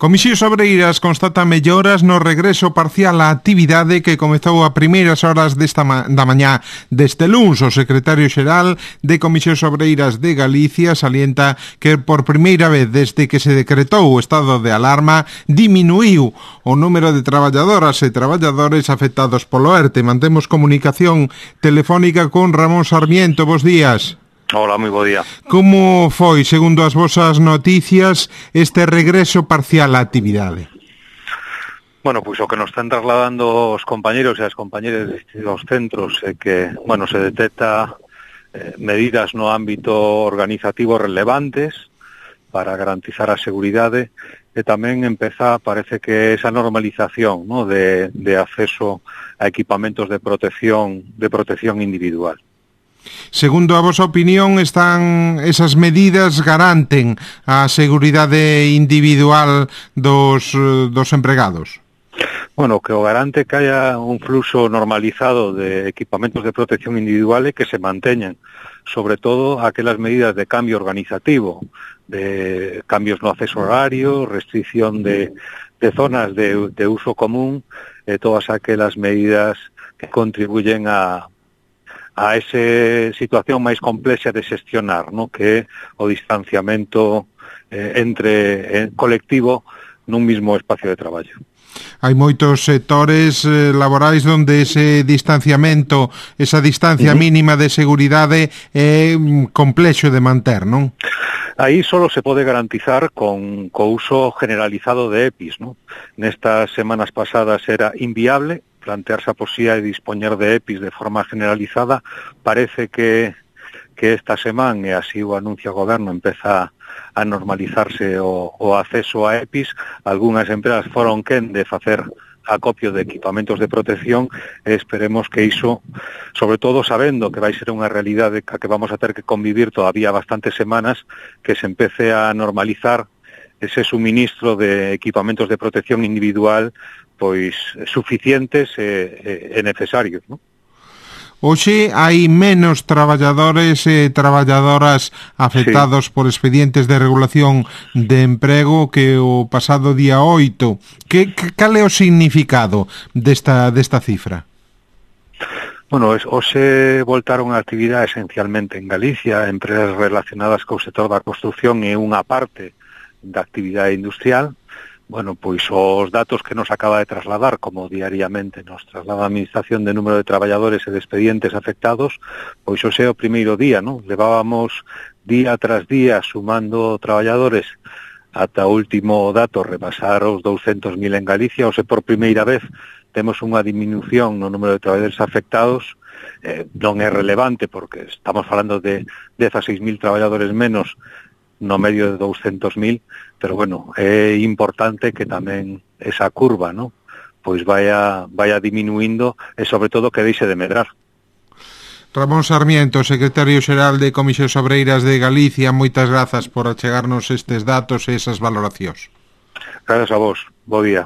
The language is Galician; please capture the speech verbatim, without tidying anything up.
Comisións Obreiras constata melloras no regreso parcial á actividade que comezou a primeiras horas desta ma da mañá deste luns. O secretario xeral de Comisións Obreiras de Galicia salienta que por primeira vez desde que se decretou o estado de alarma diminuiu o número de traballadoras e traballadores afectados polo ERTE. Mantemos comunicación telefónica con Ramón Sarmiento. Bos días. Hola, moi bo día. Como foi, segundo as vosas noticias, este regreso parcial á actividade? Bueno, pois o que nos están trasladando os compañeros e as compañeras dos centros é que, bueno, se detecta eh, medidas no ámbito organizativo relevantes para garantizar a seguridade e tamén empeza, parece que esa normalización, ¿no?, de, de acceso a equipamentos de protección, de protección individual. Segundo a vosa opinión, están esas medidas garanten a seguridade individual dos, dos empregados? Bueno, que o garante que haya un fluxo normalizado de equipamentos de protección individual e que se manteñan, sobre todo aquelas medidas de cambio organizativo, de cambios no acceso horario, restricción de, de zonas de, de uso común, e todas aquelas medidas que contribuyen a a esa situación máis complexa de xestionar, ¿no?, que é o distanciamento eh, entre eh, colectivo nun mismo espacio de traballo. Hai moitos sectores eh, laborais onde ese distanciamento, esa distancia uh-huh. mínima de seguridade é complexo de manter, non? Aí solo se pode garantizar con co uso generalizado de EPIs, ¿no? Nestas semanas pasadas era inviable plantearse a posibilidade de dispoñer de EPIs de forma generalizada. Parece que, que esta semana, e así o anuncia o goberno, empeza a normalizarse o, o acceso a EPIs. Algúnas empresas foron quen de facer acopio de equipamentos de protección e esperemos que iso, sobre todo sabendo que vai ser unha realidade que vamos a ter que convivir todavía bastantes semanas, que se empece a normalizar ese suministro de equipamentos de protección individual pois suficientes e, e necesarios, ¿no? Hoxe hai menos traballadores e traballadoras afectados sí. por expedientes de regulación de emprego que o pasado día oito. Que, que cal é o significado desta, desta cifra? Bueno, hoxe voltaron a actividade esencialmente en Galicia, empresas relacionadas co sector da construción e unha parte da actividade industrial. Bueno, pois os datos que nos acaba de trasladar, como diariamente nos traslada a Administración de número de traballadores e de expedientes afectados, pois hoxe é o primeiro día, ¿no? Levábamos día tras día sumando traballadores ata o último dato repasar os douscentos mil en Galicia. Hoxe por primeira vez temos unha disminución no número de traballadores afectados. Eh, non é relevante porque estamos falando de dezasseis mil traballadores menos no medio de douscentos mil, pero bueno, é importante que tamén esa curva, ¿no?, pois vaya, vaya diminuindo e sobre todo que deixe de medrar. Ramón Sarmiento, secretario xeral de Comisións Obreiras de Galicia, moitas grazas por achegarnos estes datos e esas valoracións. Grazas a vos, bo día.